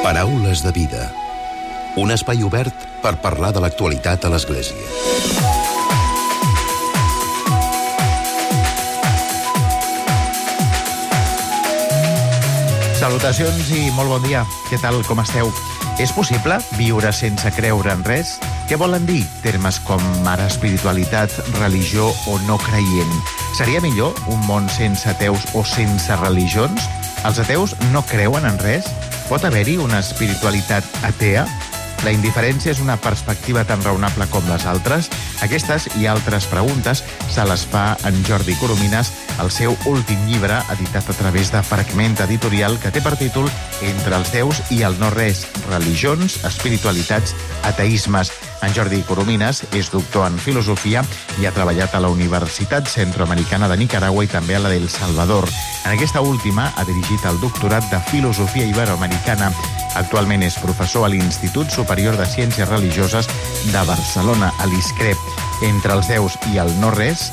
Paraules de vida. Un espai obert per parlar de l'actualitat a l'Església. Salutacions i molt bon dia. Què tal, com esteu? És possible viure sense creure en res? Què volen dir termes com ara espiritualitat, religió o no creient? Seria millor un món sense ateus o sense religions? Els ateus no creuen en res? Pot haver-hi una espiritualitat atea? La indiferència és una perspectiva tan raonable com les altres? Aquestes i altres preguntes se les fa en Jordi Coromines al seu últim llibre, editat a través de Fragment Editorial, que té per títol Entre els déus i el no-res, religions, espiritualitats, ateismes. En Jordi Coromines és doctor en filosofia i ha treballat a la Universitat Centroamericana de Nicaragua i també a la d'El Salvador. En aquesta última ha dirigit el doctorat de Filosofia Iberoamericana. Actualment és professor a l'Institut Superior de Ciències Religioses de Barcelona, a l'ISCREP. Entre els déus i el no-res,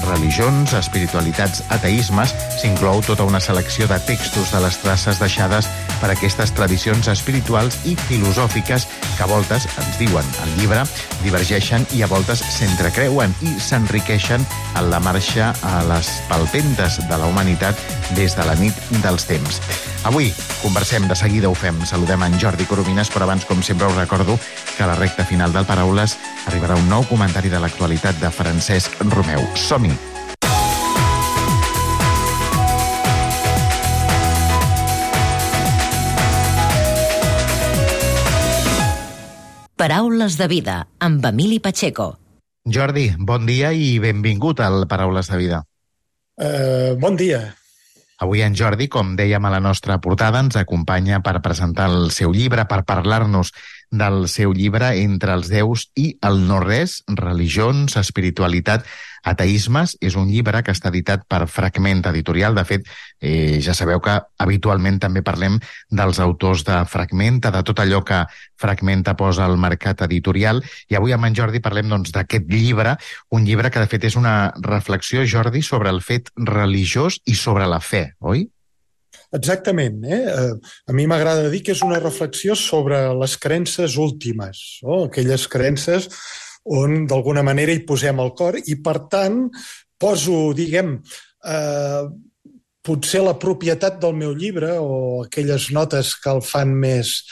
religions, espiritualitats, ateismes, s'inclou tota una selecció de textos de les traces deixades per aquestes tradicions espirituals i filosòfiques que a voltes, ens diuen al llibre, divergeixen i a voltes s'entrecreuen i s'enriqueixen en la marxa a les palpentes de la humanitat des de la nit dels temps. Avui conversem, de seguida ho fem. Saludem en Jordi Coromines, però abans, com sempre, us recordo que a la recta final del Paraules arribarà un nou comentari de l'actualitat de Francesc Romeu. Som-hi! Paraules de vida, amb Emili Pacheco. Jordi, bon dia i benvingut al Paraules de vida. Bon dia. Avui en Jordi, com dèiem a la nostra portada, ens acompanya per presentar el seu llibre, per parlar-nos del seu llibre Entre els déus i el no-res, religions, espiritualitat, ateismes. És un llibre que està editat per Fragment Editorial. De fet, ja sabeu que habitualment també parlem dels autors de Fragmenta, de tot allò que Fragmenta posa al mercat editorial. I avui amb en Jordi parlem d'aquest llibre, un llibre que de fet és una reflexió, Jordi, sobre el fet religiós i sobre la fe, oi? Exactament. A mi m'agrada dir que és una reflexió sobre les creences últimes, aquelles creences on d'alguna manera hi posem el cor i, per tant, poso, potser la propietat del meu llibre o aquelles notes que el fan més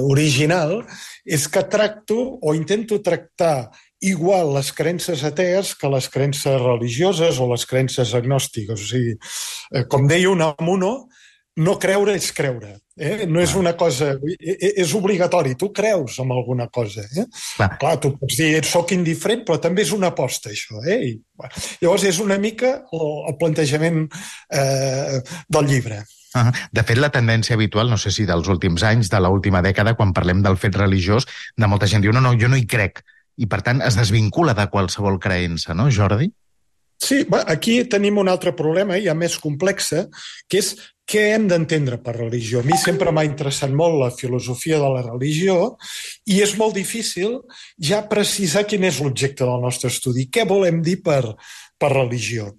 original, és que tracto o intento tractar igual les creences atees que les creences religioses o les creences agnòstiques. O sigui, com deia Unamuno, no creure és creure. No és una cosa... És obligatori. Tu creus en alguna cosa. Clar, tu pots dir, soc indiferent, però també és una aposta, això. Llavors, és una mica el plantejament del llibre. De fet, la tendència habitual, no sé si dels últims anys, de l'última dècada, quan parlem del fet religiós, de molta gent diu, no, jo no hi crec. I, per tant, es desvincula de qualsevol creença, no, Jordi? Sí, aquí tenim un altre problema, ja més complex, que és què hem d'entendre per religió. A mi sempre m'ha interessat molt la filosofia de la religió i és molt difícil ja precisar quin és l'objecte del nostre estudi. Què volem dir per religió?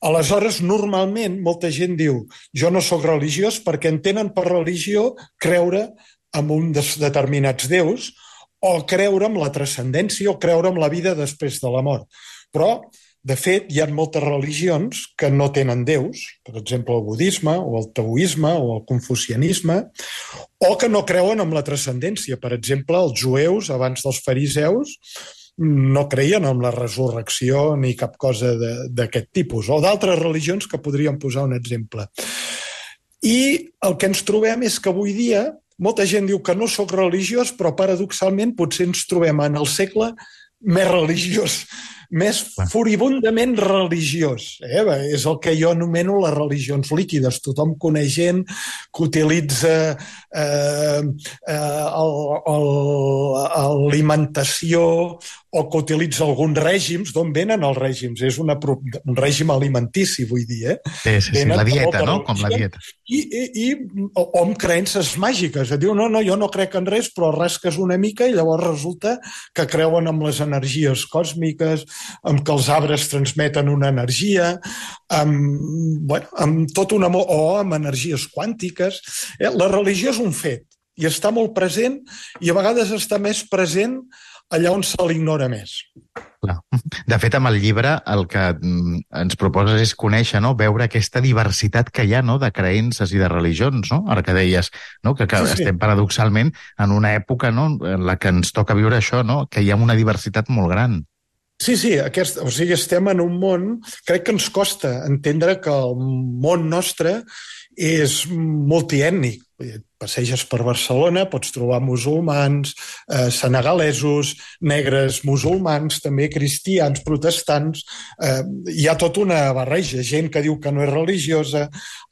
Aleshores, normalment, molta gent diu jo no sóc religiós perquè entenen per religió creure en uns determinats déus o creure en la transcendència o creure en la vida després de la mort. Però, de fet, hi ha moltes religions que no tenen déus, per exemple el budisme o el taoisme o el confucianisme, o que no creuen en la transcendència. Per exemple, els jueus, abans dels fariseus, no creien en la resurrecció ni cap cosa d'aquest tipus, o d'altres religions que podríem posar un exemple. I el que ens trobem és que avui dia molta gent diu que no sóc religiós, però paradoxalment potser ens trobem en el segle més religiós, més furibundament religiós. És el que jo anomeno les religions líquides. Tothom coneix gent que utilitza alimentació o que utilitza alguns règims. D'on venen els règims? És un règim alimentici, vull dir. Sí, la dieta, no? Com la dieta. O amb creences màgiques. Diu, no, jo no crec en res, però rasques una mica i llavors resulta que creuen en les energies còsmiques amb que els arbres transmeten una energia, amb tot un amor, o amb energies quàntiques. La religió és un fet i està molt present i a vegades està més present allà on se l'ignora més. De fet, amb el llibre el que ens proposes és conèixer, no? Veure aquesta diversitat que hi ha, no? De creences i de religions, no? Ara que deies, no? Que sí. Estem paradoxalment en una època, no? En la que ens toca viure això, no? Que hi ha una diversitat molt gran. Sí, estem en un món, crec que ens costa entendre que el món nostre és multiètnic. Passeges per Barcelona, pots trobar musulmans, senegalesos, negres musulmans, també cristians, protestants. Hi ha tota una barreja, gent que diu que no és religiosa,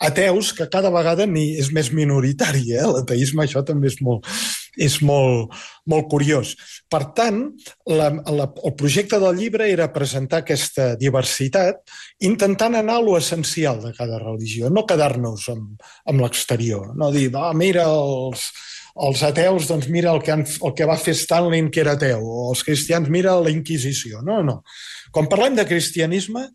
ateus, que cada vegada és més minoritari. L'ateisme, això també és molt curiós. Per tant, el projecte del llibre era presentar aquesta diversitat intentant anar a l'essencial de cada religió, no quedar-nos amb l'exterior, no dir, mira els ateus, doncs mira el que va fer Stalin, que era ateu, o els cristians, mira la Inquisició. No. Quan parlem de cristianisme,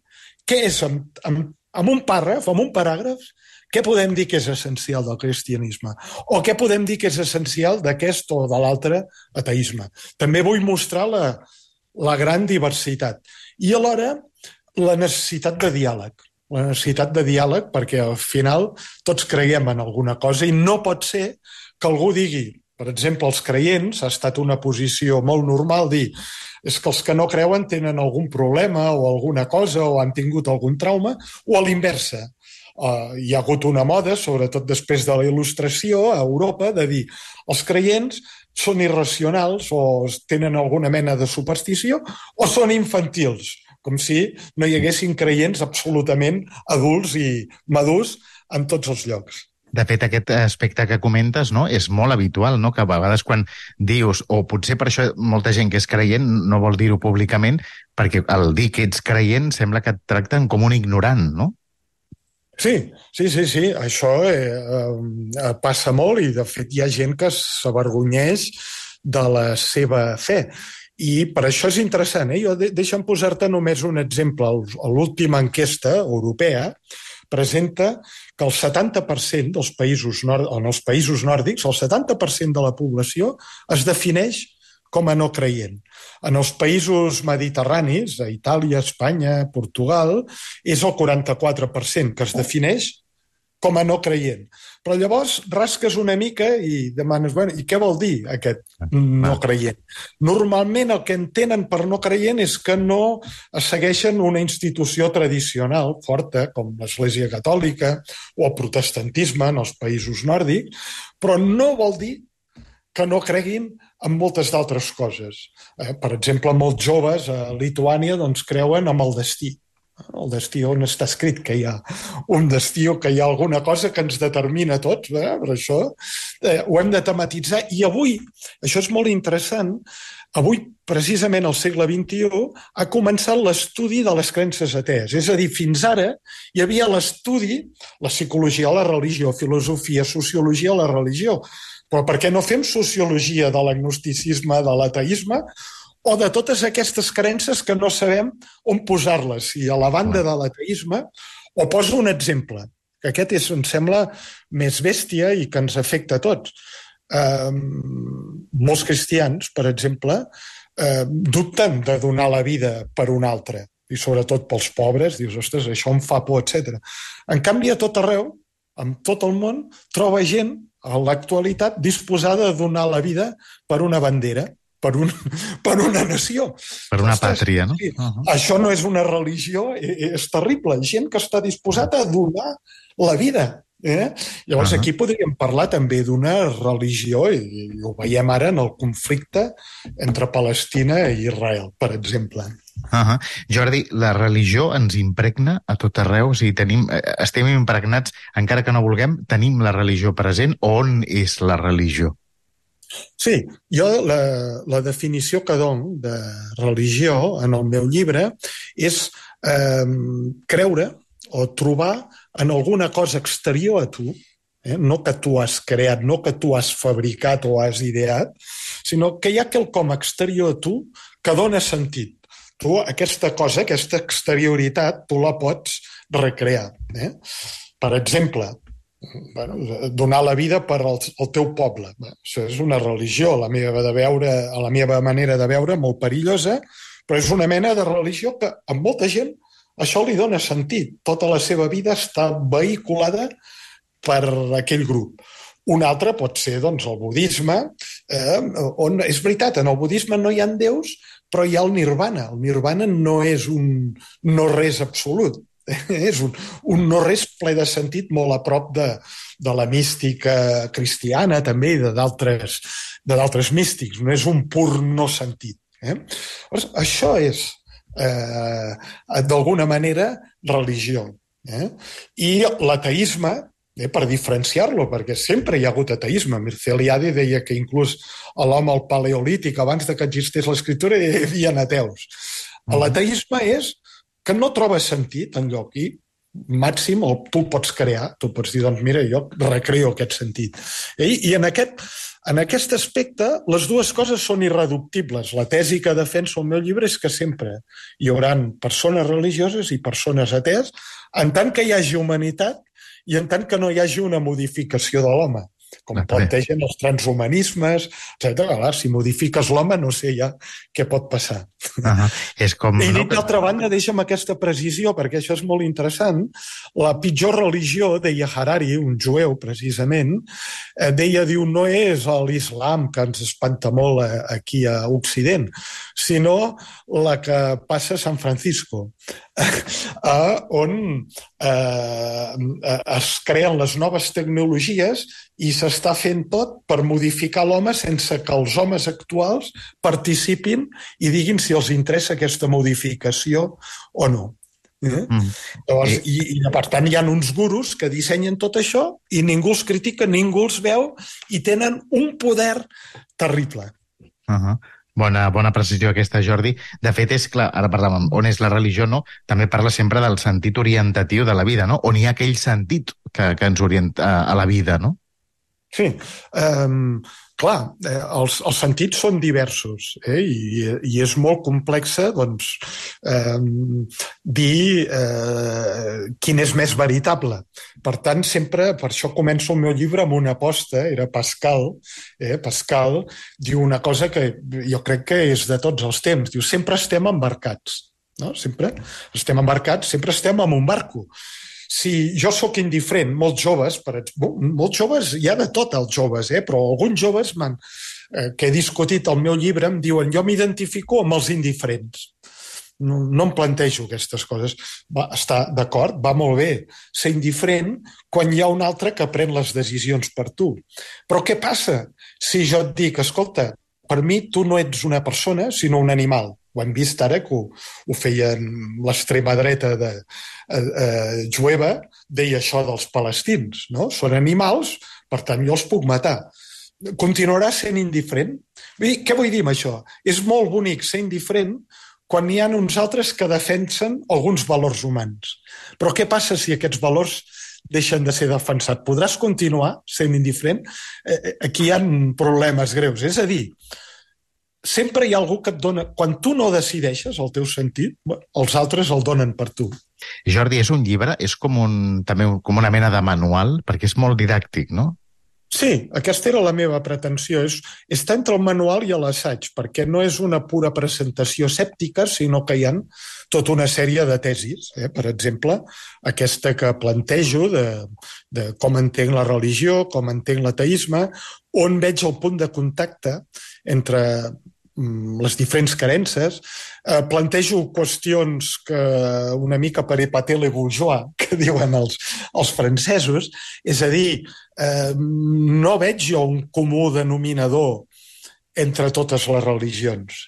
què és, amb un paràgraf, què podem dir que és essencial del cristianisme? O què podem dir que és essencial d'aquest o de l'altre ateisme? També vull mostrar la gran diversitat. I alhora, la necessitat de diàleg. La necessitat de diàleg perquè al final tots creiem en alguna cosa i no pot ser que algú digui, per exemple, els creients, ha estat una posició molt normal dir és que els que no creuen tenen algun problema o alguna cosa o han tingut algun trauma, o a l'inversa. Hi ha hagut una moda, sobretot després de la Il·lustració a Europa, de dir els creients són irracionals o tenen alguna mena de superstició o són infantils, com si no hi haguessin creients absolutament adults i madurs en tots els llocs. De fet, aquest aspecte que comentes, no, és molt habitual, no? Que a vegades quan dius, o potser per això molta gent que és creient no vol dir-ho públicament, perquè al dir que ets creient sembla que et tracten com un ignorant, no? Sí, això passa molt i de fet hi ha gent que s'avergonyeix de la seva fe. I per això és interessant. Deixa'm posar-te només un exemple. L'última enquesta europea presenta que el 70% dels països, en els països nòrdics, el 70% de la població es defineix com a no creient. En els països mediterranis, a Itàlia, Espanya, Portugal, és el 44% que es defineix com a no creient. Però llavors rasques una mica i demanes, i què vol dir aquest no creient? Normalment el que entenen per no creient és que no segueixen una institució tradicional forta, com l'Església Catòlica o el protestantisme en els països nòrdics, però no vol dir que no creguin en moltes d'altres coses. Per exemple, molts joves a Lituània creuen en el destí. El destí, on està escrit que hi ha un destí o que hi ha alguna cosa que ens determina a tots, per això ho hem de tematitzar. I avui, això és molt interessant, avui, precisament al segle XXI, ha començat l'estudi de les creences atees. És a dir, fins ara hi havia l'estudi, la psicologia, la religió, filosofia, sociologia, la religió. Però per què no fem sociologia de l'agnosticisme, de l'ateisme, o de totes aquestes creences que no sabem on posar-les? I a la banda de l'ateisme, o poso un exemple, que aquest em sembla més bèstia i que ens afecta a tots. Molts cristians, per exemple, dubten de donar la vida per un altre, i sobretot pels pobres, dius, ostres, això em fa por, etc. En canvi, a tot arreu, en tot el món, troba gent a l'actualitat disposada a donar la vida per una bandera, per una nació. Per una pàtria, no? Sí. Això no és una religió, és terrible. Gent que està disposada a donar la vida. Llavors aquí podríem parlar també d'una religió, i ho veiem ara en el conflicte entre Palestina i Israel, per exemple. Jordi, la religió ens impregna a tot arreu, o sigui, estem impregnats, encara que no vulguem, tenim la religió present. On és la religió? Sí, jo la definició que dono de religió en el meu llibre és creure o trobar en alguna cosa exterior a tu, no que tu has creat, no que tu has fabricat o has ideat, sinó que hi ha quelcom exterior a tu que dona sentit. tu aquesta cosa, aquesta exterioritat, tu la pots recrear. Per exemple, donar la vida per al teu poble. Això és una religió, a la meva manera de veure, molt perillosa, però és una mena de religió que a molta gent això li dona sentit. Tota la seva vida està vehiculada per aquell grup. Un altre pot ser doncs, el budisme, on és veritat, en el budisme no hi ha déus, però hi ha el nirvana. El nirvana no és un no-res absolut, és un no-res ple de sentit molt a prop de la mística cristiana també i d'altres místics. No és un pur no sentit. Això és, d'alguna manera, religió. I l'ateisme, per diferenciar-lo, perquè sempre hi ha hagut ateisme. Mircea Eliade deia que inclús a l'home al paleolític, abans que existés l'escriptura, hi havia ateus. L'ateisme és que no trobes sentit enlloc i màxim tu pots crear, tu pots dir, doncs mira, jo recreo aquest sentit. I en aquest aspecte les dues coses són irreductibles. La tesi que defenso al meu llibre és que sempre hi haurà persones religioses i persones atees en tant que hi hagi humanitat i en tant que no hi hagi una modificació de l'home, com plantegen els transhumanismes, etc. Si modifiques l'home, no sé ja què pot passar. És com... I d'altra banda, deixa'm aquesta precisió, perquè això és molt interessant. La pitjor religió, deia Harari, un jueu, precisament, diu, no és l'islam que ens espanta molt aquí a Occident, sinó la que passa a San Francisco, on es creen les noves tecnologies i s'està fent tot per modificar l'home sense que els homes actuals participin i diguin si els interessa aquesta modificació o no. Llavors, i per tant hi ha uns gurus que dissenyen tot això i ningú els critica, ningú els veu i tenen un poder terrible. Bona precisió aquesta, Jordi. De fet, és clar, ara parlàvem on és la religió, no? També parla sempre del sentit orientatiu de la vida, no? On hi ha aquell sentit que ens orienta a la vida, no? Sí, clar, els sentits són diversos i és molt complex doncs, dir quin és més veritable. Per tant, sempre, per això començo el meu llibre amb una aposta, era Pascal. Pascal diu una cosa que jo crec que és de tots els temps. Diu, sempre estem embarcats. No? Sempre estem embarcats, sempre estem en un barco. Si jo sóc indiferent, molts joves, hi ha de tot els joves, però alguns joves que he discutit al meu llibre em diuen jo m'identifico amb els indiferents. No em plantejo aquestes coses. Està d'acord, va molt bé ser indiferent quan hi ha un altre que pren les decisions per tu. Però què passa si jo et dic, escolta, per mi tu no ets una persona, sinó un animal? Ho hem vist ara que ho feien l'extrema dreta jueva, deia això dels palestins, no? Són animals, per tant jo els puc matar. Continuarà sent indiferent? Què vull dir amb això? És molt bonic ser indiferent quan hi ha uns altres que defensen alguns valors humans. Però què passa si aquests valors deixen de ser defensats? Podràs continuar sent indiferent? Aquí hi ha problemes greus. És a dir, sempre hi ha algú que et dona... Quan tu no decideixes el teu sentit, els altres el donen per tu. Jordi, és un llibre? És també com una mena de manual? Perquè és molt didàctic, no? Sí, aquesta era la meva pretensió. Està entre el manual i l'assaig, perquè no és una pura presentació escèptica, sinó que hi ha tota una sèrie de tesis. Per exemple, aquesta que plantejo de com entenc la religió, com entenc l'ateisme, on veig el punt de contacte entre les diferents creences, plantejo qüestions que una mica per épater les bourgeois, que diuen els francesos, és a dir, no veig jo un comú denominador entre totes les religions.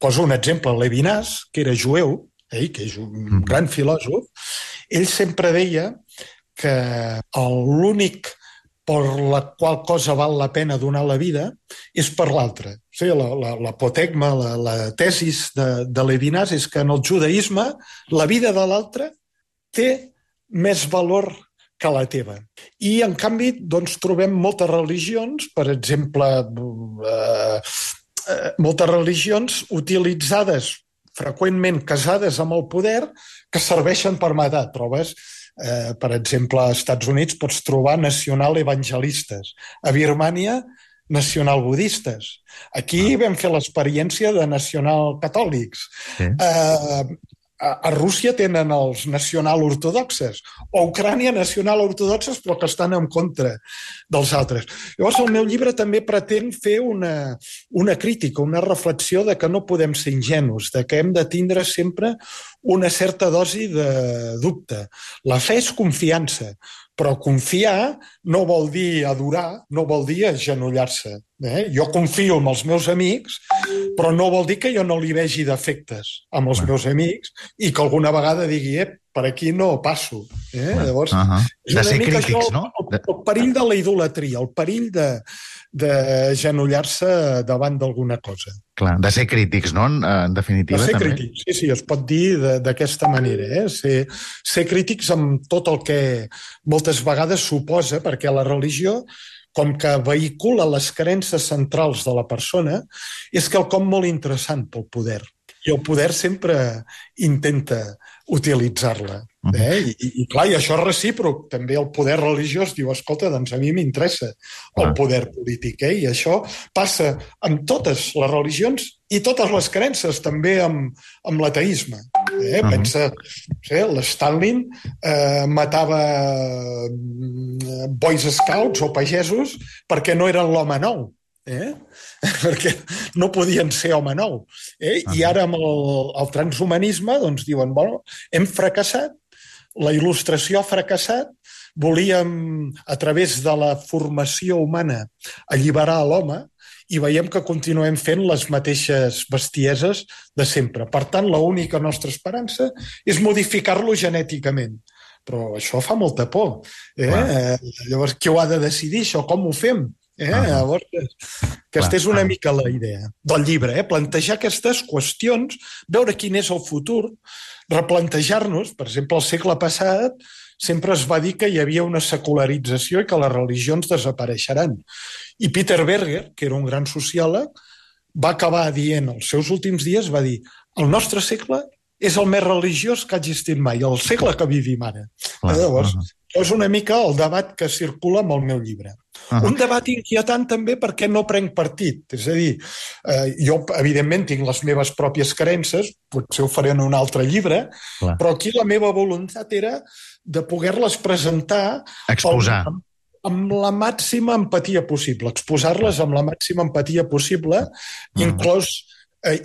Poso un exemple, Levinas, que era jueu, que és un gran filòsof, ell sempre deia que l'únic per la qual cosa val la pena donar la vida és per l'altra. O sigui, l'apotegma, la tesis de Levinas és que en el judaïsme la vida de l'altre té més valor que la teva. I, en canvi, doncs, trobem moltes religions, per exemple, moltes religions utilitzades freqüentment casades amb el poder, que serveixen per matar. Trobes, per exemple, als Estats Units pots trobar nacional-evangelistes. A Birmània, nacional-budistes. Aquí vam fer l'experiència de nacional-catòlics. Sí. A Rússia tenen els nacional-ortodoxes, o a Ucrània nacional-ortodoxes, però que estan en contra dels altres. Llavors, el meu llibre també pretén fer una crítica, una reflexió de que no podem ser ingenus, de que hem de tindre sempre una certa dosi de dubte. La fe és confiança, però confiar no vol dir adorar, no vol dir agenollar-se. Jo confio en els meus amics, però no vol dir que jo no li vegi defectes amb els meus amics i que alguna vegada digui, per aquí no passo. Llavors, de ser crítics, no? El perill de la idolatria, el perill d'agenollar-se davant d'alguna cosa. Clar, de ser crítics, no? En definitiva, també. De ser també. crítics, sí, es pot dir d'aquesta manera. Ser crítics amb tot el que moltes vegades suposa, perquè la religió, com que vehicula les creences centrals de la persona, és quelcom molt interessant pel poder. I el poder sempre intenta utilitzar-la. I clar, i això és recíproc. També el poder religiós diu, escolta, doncs a mi m'interessa el poder polític. I això passa amb totes les religions i totes les creences, també amb l'ateisme. Pensa, l'Stalin matava Boys Scouts o pagesos perquè no eren l'home nou. Perquè no podien ser home nou. I ara amb el transhumanisme doncs diuen, bueno, hem fracassat, la il·lustració ha fracassat, volíem, a través de la formació humana, alliberar l'home i veiem que continuem fent les mateixes bestieses de sempre. Per tant, l'única nostra esperança és modificar-lo genèticament. Però això fa molta por. Llavors, qui ho ha de decidir, això? Com ho fem? Llavors, aquesta és una mica la idea del llibre, plantejar aquestes qüestions, veure quin és el futur, replantejar-nos. Per exemple, al segle passat sempre es va dir que hi havia una secularització i que les religions desapareixeran. I Peter Berger, que era un gran sociòleg, va acabar dient, als seus últims dies, va dir, el nostre segle és el més religiós que ha existit mai, el segle que vivim ara. Llavors, és una mica el debat que circula amb el meu llibre. Un debat inquietant també perquè no prenc partit. És a dir, jo, evidentment, tinc les meves pròpies creences, potser ho faré en un altre llibre, però aquí la meva voluntat era de poder-les presentar... Exposar. Amb la màxima empatia possible, exposar-les amb la màxima empatia possible, inclòs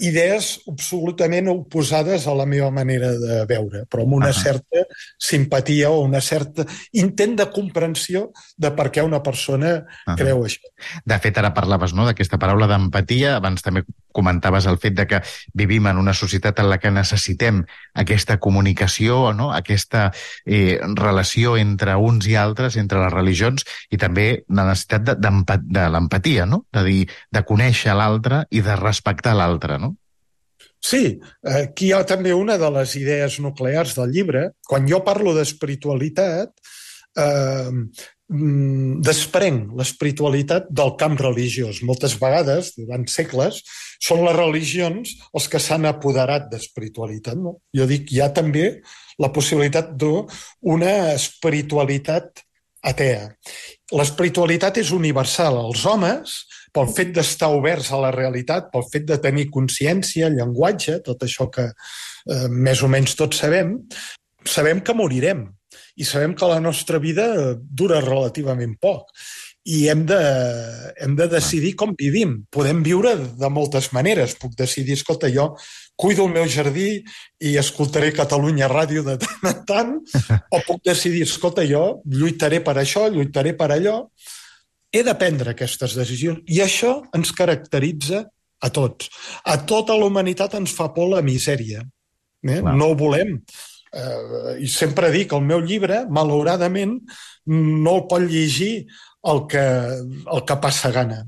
idees absolutament oposades a la meva manera de veure, però amb una certa simpatia o una certa intent de comprensió de per què una persona creu això. De fet, ara parlaves d'aquesta paraula d'empatia, abans també comentaves el fet de que vivim en una societat en la que necessitem aquesta comunicació, aquesta relació entre uns i altres, entre les religions, i també la necessitat de l'empatia, de dir, de conèixer l'altre i de respectar l'altre, no? Sí, aquí hi ha també una de les idees nuclears del llibre. Quan jo parlo d'espiritualitat, desprenc l'espiritualitat del camp religiós. Moltes vegades, durant segles, són les religions els que s'han apoderat d'espiritualitat. Jo dic, hi ha també la possibilitat d'una espiritualitat atea. L'espiritualitat és universal. Els homes, pel fet d'estar oberts a la realitat, pel fet de tenir consciència, llenguatge, tot això que més o menys tots sabem que morirem i sabem que la nostra vida dura relativament poc i hem de decidir com vivim. Podem viure de moltes maneres. Puc decidir, escolta, jo cuido el meu jardí i escoltaré Catalunya Ràdio de tant en tant, o puc decidir, escolta, jo lluitaré per això, lluitaré per allò. He de prendre aquestes decisions i això ens caracteritza a tots. A tota la humanitat ens fa por la misèria. No ho volem. I sempre dic, el meu llibre, malauradament, no el pot llegir el que passa gana,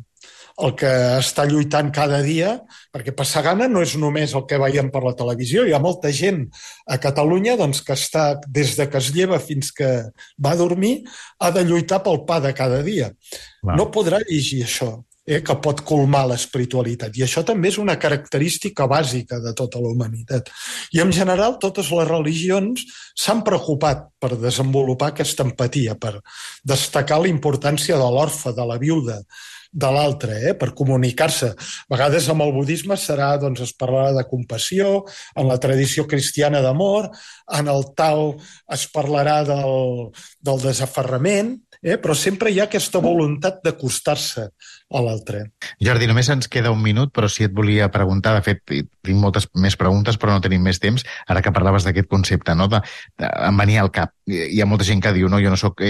el que està lluitant cada dia, perquè passar gana no és només el que veiem per la televisió. Hi ha molta gent a Catalunya que està, des de que es lleva fins que va a dormir, ha de lluitar pel pa de cada dia. No podrà llegir això. que pot colmar l'espiritualitat. I això també és una característica bàsica de tota la humanitat. I en general totes les religions s'han preocupat per desenvolupar aquesta empatia, per destacar la importància de l'orfe, de la viuda, de l'altre, per comunicar-se. A vegades amb el budisme es parlarà de compassió, en la tradició cristiana d'amor, en el Tao es parlarà del desaferrament, però sempre hi ha aquesta voluntat d'acostar-se a l'altre. Jordi, només ens queda un minut, però si et volia preguntar, de fet, tinc moltes més preguntes, però no tenim més temps, ara que parlaves d'aquest concepte, no? Em venia al cap. Hi ha molta gent que diu, no, jo no soc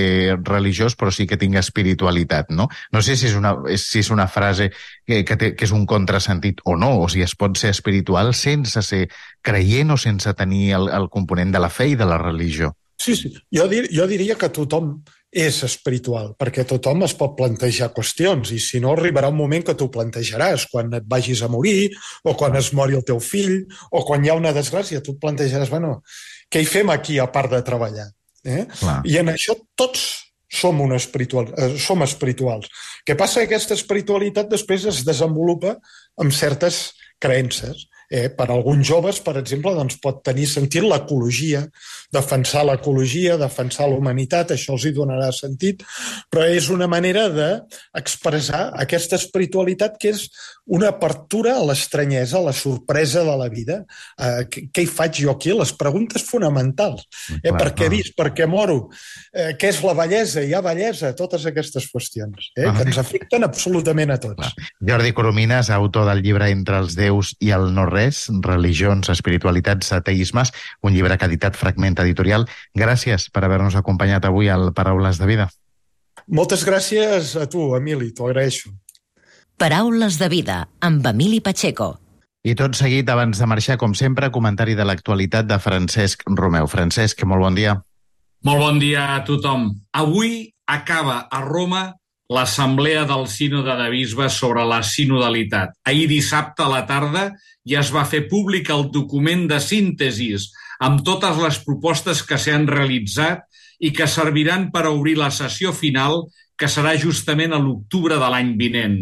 religiós, però sí que tinc espiritualitat, no? No sé si és una frase que és un contrasentit o no, o si es pot ser espiritual sense ser creient o sense tenir el component de la fe i de la religió. Sí. Jo diria que tothom és espiritual, perquè tothom es pot plantejar qüestions, i si no arribarà un moment que t'ho plantejaràs, quan et vagis a morir, o quan es mori el teu fill, o quan hi ha una desgràcia, tu et plantejaràs, què hi fem aquí a part de treballar? I en això tots som espirituals. El que passa que aquesta espiritualitat després es desenvolupa amb certes creences. Per alguns joves, per exemple, pot tenir sentit l'ecologia, defensar l'ecologia, defensar la humanitat, això els hi donarà sentit, però és una manera d'expressar aquesta espiritualitat que és una apertura a l'estranyesa, a la sorpresa de la vida. Què hi faig jo aquí? Les preguntes fonamentals. Per què visc? Per què moro? Què és la bellesa? Hi ha bellesa? Totes aquestes qüestions que ens afecten absolutament a tots. Jordi Coromines, autor del llibre Entre els déus i el no-res, religions, espiritualitats, ateismes, un llibre que ha editat Fragment Editorial. Gràcies per haver-nos acompanyat avui al Paraules de Vida. Moltes gràcies a tu, Emili, t'ho agraeixo. Paraules de Vida, amb Emili Pacheco. I tot seguit, abans de marxar, com sempre, comentari de l'actualitat de Francesc Romeu. Francesc, molt bon dia. Molt bon dia a tothom. Avui acaba a Roma l'assemblea del Sínode de Bisbes sobre la sinodalitat. Ahir dissabte a la tarda ja es va fer públic el document de síntesis amb totes les propostes que s'han realitzat i que serviran per obrir la sessió final, que serà justament a l'octubre de l'any vinent.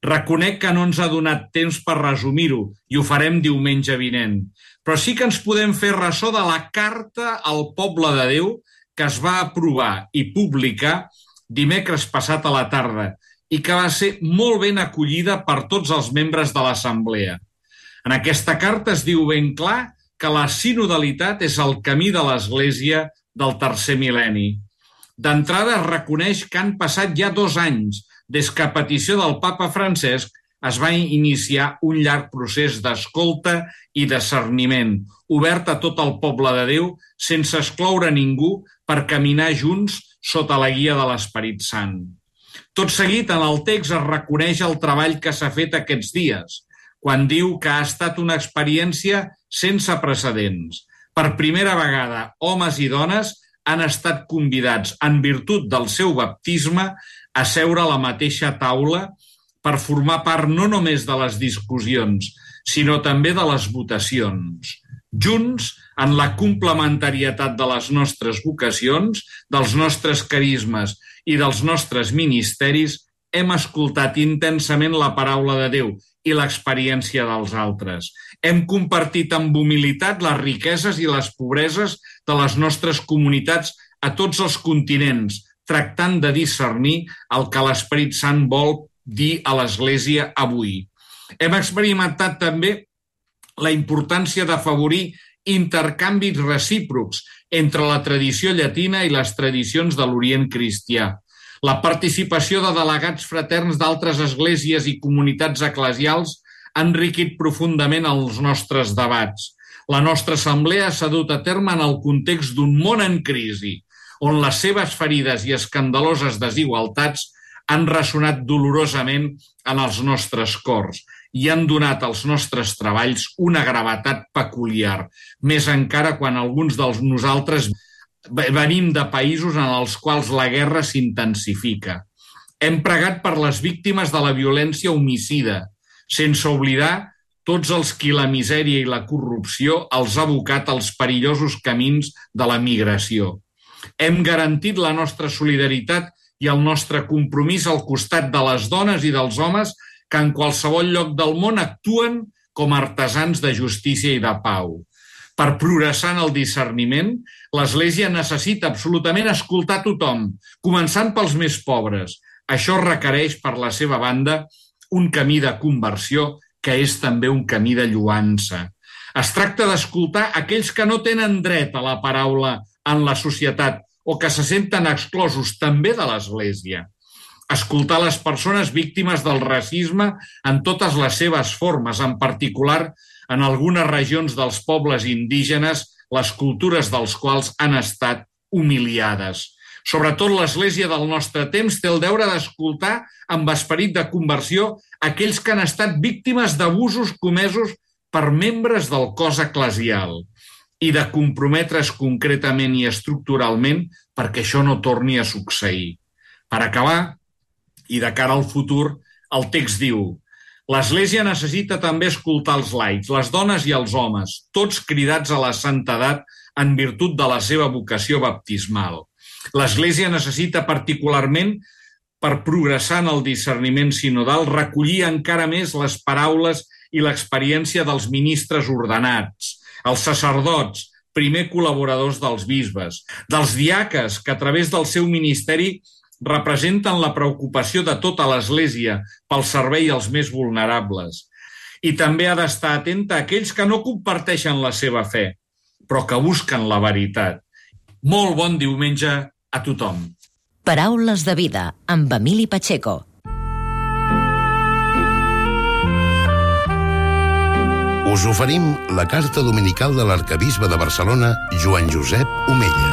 Reconec que no ens ha donat temps per resumir-ho i ho farem diumenge vinent, però sí que ens podem fer ressò de la carta al poble de Déu que es va aprovar i publicar dimecres passat a la tarda i que va ser molt ben acollida per tots els membres de l'Assemblea. En aquesta carta es diu ben clar que la sinodalitat és el camí de l'Església del tercer mil·lenni. D'entrada es reconeix que han passat ja 2 anys des que a petició del papa Francesc es va iniciar un llarg procés d'escolta i discerniment, obert a tot el poble de Déu sense excloure ningú per caminar junts sota la guia de l'Esperit Sant. Tot seguit, en el text es reconeix el treball que s'ha fet aquests dies, quan diu que ha estat una experiència sense precedents. Per primera vegada, homes i dones han estat convidats, en virtut del seu baptisme, a seure a la mateixa taula per formar part no només de les discussions, sinó també de les votacions. Junts, en la complementarietat de les nostres vocacions, dels nostres carismes i dels nostres ministeris, hem escoltat intensament la paraula de Déu i l'experiència dels altres. Hem compartit amb humilitat les riqueses i les pobreses de les nostres comunitats a tots els continents, tractant de discernir el que l'Esperit Sant vol dir a l'Església avui. Hem experimentat també la importància d'afavorir intercanvis recíprocs entre la tradició llatina i les tradicions de l'Orient cristià. La participació de delegats fraterns d'altres esglésies i comunitats eclesials ha enriquit profundament els nostres debats. La nostra assemblea s'ha dut a terme en el context d'un món en crisi, on les seves ferides i escandaloses desigualtats han ressonat dolorosament en els nostres cors i han donat als nostres treballs una gravetat peculiar, més encara quan alguns de nosaltres venim de països en els quals la guerra s'intensifica. Hem pregat per les víctimes de la violència homicida, sense oblidar tots els qui la misèria i la corrupció els ha abocat als perillosos camins de la migració. Hem garantit la nostra solidaritat i el nostre compromís al costat de les dones i dels homes que en qualsevol lloc del món actuen com a artesans de justícia i de pau. Per progressar en el discerniment, l'Església necessita absolutament escoltar tothom, començant pels més pobres. Això requereix, per la seva banda, un camí de conversió que és també un camí de lloança. Es tracta d'escoltar aquells que no tenen dret a la paraula en la societat o que se senten exclosos també de l'Església. Escoltar les persones víctimes del racisme en totes les seves formes, en particular en algunes regions dels pobles indígenes, les cultures dels quals han estat humiliades. Sobretot l'Església del nostre temps té el deure d'escoltar amb esperit de conversió aquells que han estat víctimes d'abusos comesos per membres del cos eclesial i de comprometre's concretament i estructuralment perquè això no torni a succeir. Per acabar, i de cara al futur, el text diu: l'Església necessita també escoltar els laics, les dones i els homes, tots cridats a la santedat en virtut de la seva vocació baptismal. L'Església necessita particularment, per progressar en el discerniment sinodal, recollir encara més les paraules i l'experiència dels ministres ordenats, els sacerdots, primer col·laboradors dels bisbes, dels diaques que a través del seu ministeri representen la preocupació de tota l'Església pel servei als més vulnerables. I també ha d'estar atenta a aquells que no comparteixen la seva fe, però que busquen la veritat. Molt bon diumenge a tothom. Paraules de vida, amb Emili Pacheco. Us oferim la carta dominical de l'arquebisbe de Barcelona, Joan Josep Omella.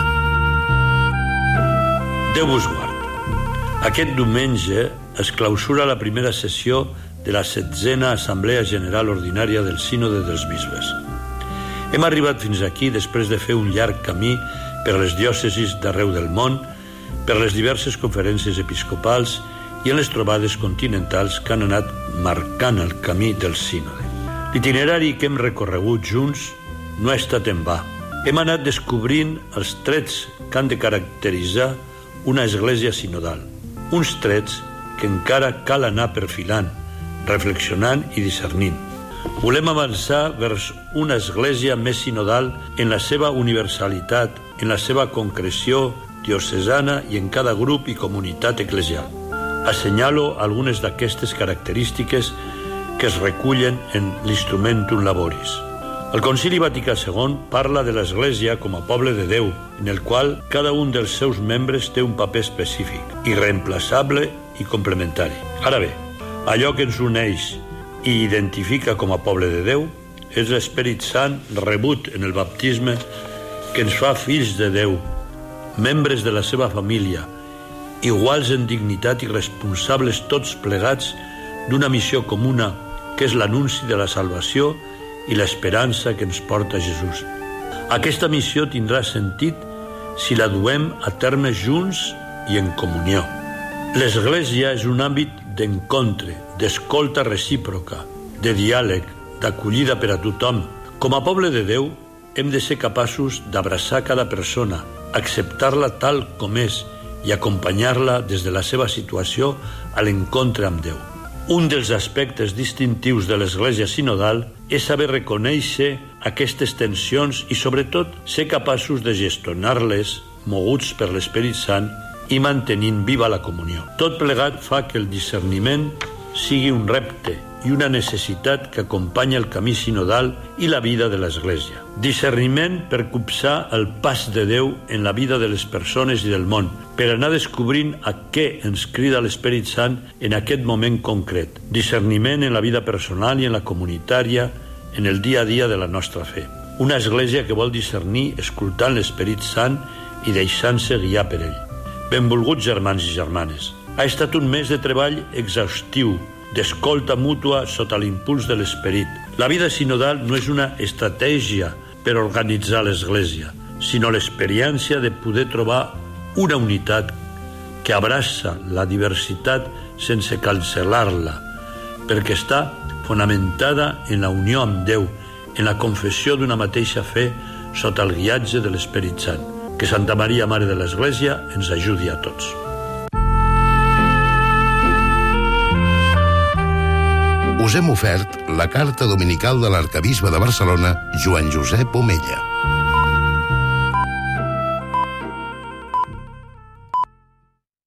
Déu vos guard. Aquest diumenge es clausura la primera sessió de la 7a Assemblea General Ordinària del Sínode dels Bisbes. Hem arribat fins aquí després de fer un llarg camí per les diòcesis d'arreu del món, per les diverses conferències episcopals i en les trobades continentals que han anat marcant el camí del sínode. L'itinerari que hem recorregut junts no ha estat en va. Hem anat descobrint els trets que han de caracteritzar una església sinodal, uns trets que encara cal anar perfilant, reflexionant i discernint. Volem avançar vers una església més sinodal en la seva universalitat, en la seva concreció diocesana i en cada grup i comunitat eclesial. Assenyalo algunes d'aquestes característiques que es recullen en l'Instrumentum Laboris. El Concili Vaticà II parla de l'Església com a poble de Déu, en el qual cada un dels seus membres té un paper específic, irreemplaçable i complementari. Ara bé, allò que ens uneix i identifica com a poble de Déu és l'Esperit Sant rebut en el baptisme que ens fa fills de Déu, membres de la seva família, iguals en dignitat i responsables tots plegats d'una missió comuna que és l'anunci de la salvació i l'esperança que ens porta Jesús. Aquesta missió tindrà sentit si la duem a terme junts i en comunió. L'Església és un àmbit d'encontre, d'escolta recíproca, de diàleg, d'acollida per a tothom. Com a poble de Déu, hem de ser capaços d'abraçar cada persona, acceptar-la tal com és i acompanyar-la des de la seva situació a l'encontre amb Déu. Un dels aspectes distintius de l'Església sinodal és saber reconèixer aquestes tensions i, sobretot, ser capaços de gestionar-les, moguts per l'Esperit Sant i mantenint viva la comunió. Tot plegat fa que el discerniment sigui un repte i una necessitat que acompanya el camí sinodal i la vida de l'Església. Discerniment per copsar el pas de Déu en la vida de les persones i del món, per anar descobrint a què ens crida l'Esperit Sant en aquest moment concret. Discerniment en la vida personal i en la comunitària, en el dia a dia de la nostra fe. Una església que vol discernir escoltant l'Esperit Sant i deixant-se guiar per ell. Benvolguts germans i germanes, ha estat un mes de treball exhaustiu, d'escolta mútua sota l'impuls de l'Esperit. La vida sinodal no és una estratègia per organitzar l'Església, sinó l'experiència de poder trobar una unitat que abraça la diversitat sense cancel·lar-la, perquè està fonamentada en la unió amb Déu, en la confessió d'una mateixa fe sota el guiatge de l'Esperit Sant. Que Santa Maria, Mare de l'Església, ens ajudi a tots. Us hem ofert la carta dominical de l'arcabisbe de Barcelona, Joan Josep Omella.